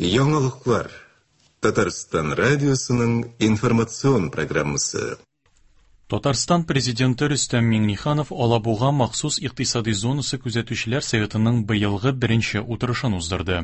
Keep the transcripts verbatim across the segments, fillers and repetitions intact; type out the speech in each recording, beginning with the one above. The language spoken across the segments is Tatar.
Яңалыклар. Татарстан радиосының информацион программасы. Татарстан президенты Рөстәм Миңнеханов Алабуга махсус икътисади зонасы күзәтүчеләр советының быелгы беренче утырышын уздырды.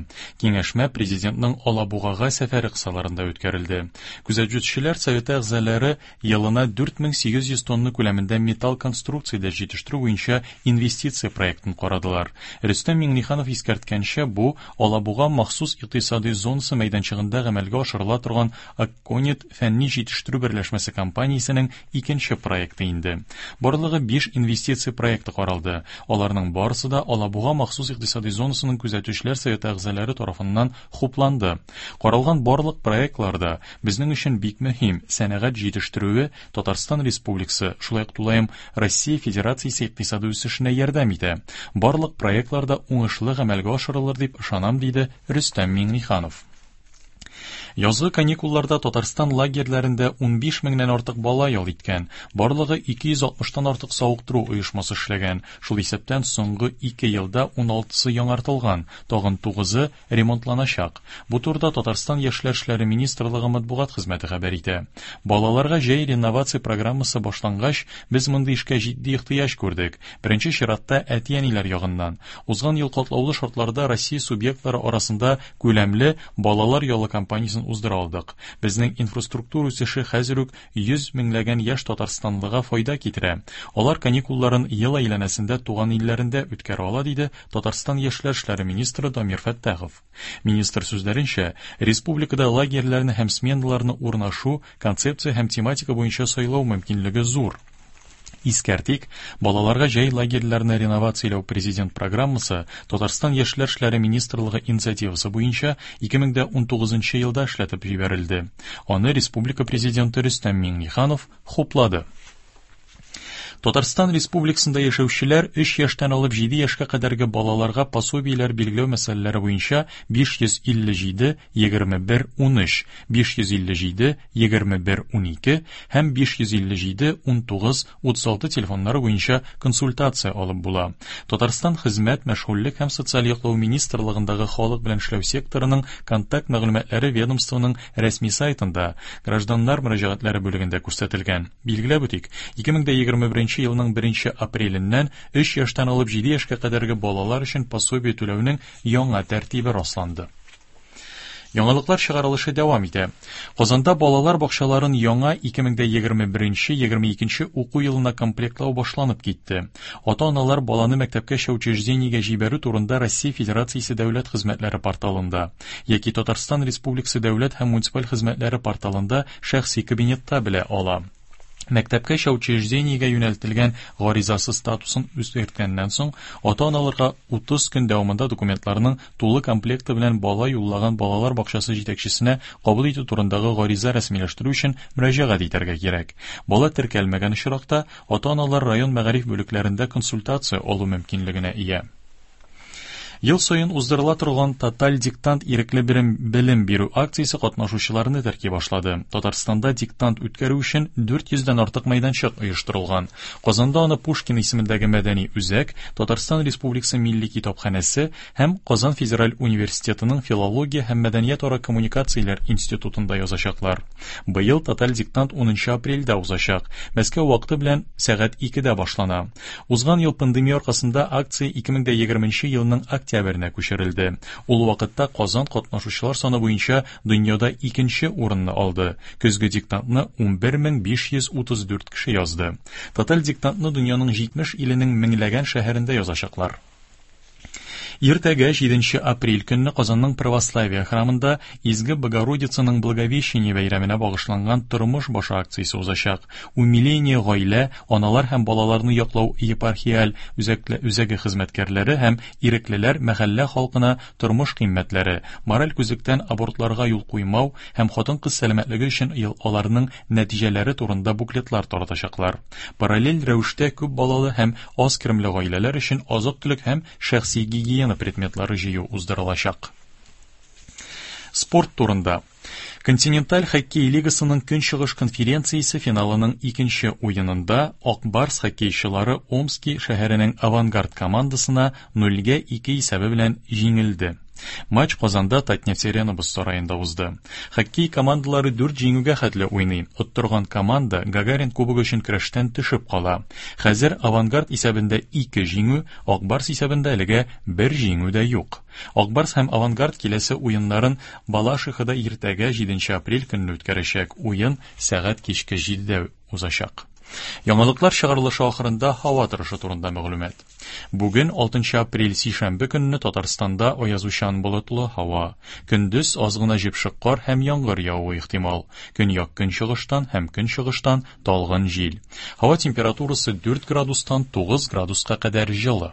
Киңәшмә президентның Алабугага сәфәре кысаларында үткәрелде. Күзәтүчеләр советы әгъзалары елына дүрт мең сигез йөз тонна күләмендә металл конструкцияләр җитештерү буенча инвестиция проектын карадылар. Рөстәм Миңнеханов искәрткәнчә, бу Алабуга махсус икътисади зонасы мәйданчыгында гамәлгә ашырыла торган Акконит фәнни җитештерү берләшмәсе компаниясенең икенче проекты инде. Барлыгы биш инвестиция проекты каралды. Аларның барысы да Алабуга махсус икътисади зонасының күзәтүчеләр советы әгъзалары тарафыннан хупланды. Каралган барлык проектларда безнең өчен бик мөһим сәнәгать җитештерүе Татарстан Республикасы, шулай ук тулаем Россия Федерациясе икътисады үсешенә ярдәм итә. Барлык проектларда уңышлы гамәлгә ашырылыр дип ышанам, диде Рөстәм Миңнеханов. Язгы каникулларда Татарстан лагерьләрендә унбиш меңнән артык бала ял иткән. Барлыгы ике йөз алтмыштан артык савыктыру оешмасы эшләгән. Шул исәптән соңгы ике елда уналтысы яңартылган, тагын тугызы ремонтланачак. Бу турыда Татарстан Яшьләр эшләре министрлыгы матбугат хезмәте хәбәр итә. Балаларга җәй реновация программасы башлангач, без мондый эшкә җитди ихтыяҗ күрдек. Беренче чиратта әти-әниләр ягыннан. Узган ел катлаулы шартларда Россия субъектлары арасында күләмле балалар ялы кампаниясен уздыра алдык. Безнең инфраструктура үсеше хәзер үк йөз меңләгән яшь татарстанлыга файда китерә. Алар каникулларын ел әйләнәсендә туган илләрендә үткәрә ала, диде Татарстан Яшьләр эшләре министры Дамир Фәттахов. Министр сүзләренчә, республикада лагерьләрне һәм сменаларны урнашу, концепция һәм тематика буенча сайлау мөмкинлеге зур. Искәртик, балаларга җәй лагерьләрне реновацияләү президент программасы Татарстан Яшьләр эшләре министрлыгы инициативасы буенча ике мең дә унтугызынчы елда эшләтеп җибәрелде. Аны республика президенты Рөстәм Миңнеханов хуплады. Татарстан Республикасында яшәүчеләр өч яшьтән алып җиде яшькә кадәрге балаларга пособиеләр билгеләү мәсьәләләре буенча биш йөз илле җиде, егерме бер, унөч, биш йөз илле җиде, егерме бер, унике һәм биш йөз илле җиде, унтугыз, утыз алты телефоннары буенча консультация алып була. Татарстан Хезмәт, Мәшгульлек һәм Социаль яклау министрлыгындагы халык белән эшләү секторының контакт мәгълүматлары ведомствоның рәсми сайтында гражданнар мөрәҗәгатьләре бүлегендә күрсәтелгән. Билгеләп үтик, ике мең дә егерме беренче елның беренче апреленнән өч яшьтән алып җиде яшькә кадәрге балалар өчен пособие түләүнең яңа тәртибе расланды. Яңалыклар чыгарылышы дәвам итә. Казанда балалар бакчаларын яңа ике мең дә егерме беренче, егерме икенче уку елына комплектлау башланып китте. Ата-аналар баланы мәктәпкәчә учреждениегә җибәрү турында Россия Федерациясе дәүләт хезмәтләре порталында яки Татарстан Республикасы дәүләт һәм муниципаль хезмәтләре порталында шәхси кабинетта белә ала. Мәктәпкәчә учреждениегә юнәлтелгән гаризасы статусын үзгәрткәннән соң, ата-аналарга утыз көн дәвамында документларның тулы комплекты белән бала юллаган балалар бакчасы җитәкчесенә кабул итү турындагы гариза рәсмиләштерү өчен мөрәҗәгать итәргә кирәк. Бала теркәлмәгән очракта ата-аналар район мәгариф бүлекләрендә консультация алу мөмкинлегенә ия. Ел саен уздырыла торган Тоталь диктант ирекле белем, белем бирү акциясе катнашучыларны терки башлады. Татарстанда диктант үткәрү өчен дүрт йөздән артык мәйданчык оештырылган. Казанда аны Пушкин исемендәге мәдәни үзәк, Татарстан Республикасы Милли китапханәсе һәм Казан Федераль университетының филология һәм мәдәниятара коммуникацияләр институтында язачаклар. Быел Тоталь диктант унынчы апрельдә узачак. Мәскәү вакыты белән сәгать икедә башлана. Узган ел пандемия аркасында акция ике мең дә егерменче елның октябренә күчерелде. Ул вакытта Казан катнашучылар саны буенча дөньяда икенче урынны алды. Көзге диктантны унбер мең биш йөз утыз дүрт кеше язды. Тоталь диктантны дөньяның җитмеш иленең меңләгән шәһәрендә язачаклар. Иртәгә җиденче апрель көнне Казанның Православие храмында Изге Богородицаның Благовещение бәйрәменә багышланган тормыш башы акциясе узачак. Умиление гаилә, аналар һәм балаларны яклау епархиаль үзәкле, үзәге хезмәткәрләре һәм иреклеләр мәхәллә халкына тормыш кыйммәтләре, мораль күзлектән абортларга юл куймау һәм хатын-кыз сәламәтлеге өчен ел аларның нәтиҗәләре турында буклетлар таратачаклар. Параллель рәвештә күп балалы һәм аз керемле гаиләләр өчен азык-төлек һәм шәхси гигиена предметлары җыю уздырылачак. Спорт турында. Континенталь хоккей лигасының көнчыгыш конференциясе финалының икенче уенында Ак Барс хоккейчылары Омски шәһәренең Авангард командасына нульгә ике исәбе белән җиңелде. Матч Казанда Татнефть-Арена боз сараенда узды. Хоккей командалары дүрт җиңүгә хәтле уйный. Оттырган команда Гагарин кубогы өчен көрәштән төшеп кала. Хәзер Авангард исәбендә ике җиңү, Ак Барс исәбендә әлегә бер җиңү дә юк. Ак Барс һәм Авангард киләсе уеннарын Балашихада иртәгә җиденче апрель көнне үткәрәчәк. Уен сәгать кичке җидедә узачак. Яңалыклар чыгарылышы ахырында һава торышы турында мәгълүмат. Бүген алтынчы апрель сишәмбе көнне Татарстанда аязучан болытлы һава. Көндез аз гына җепшек кар һәм яңгыр явуы ихтимал. Көньяк көнчыгыштан һәм көнчыгыштан талгын җил. Һава температурасы дүрт градустан тугыз градуска кадәр җылы.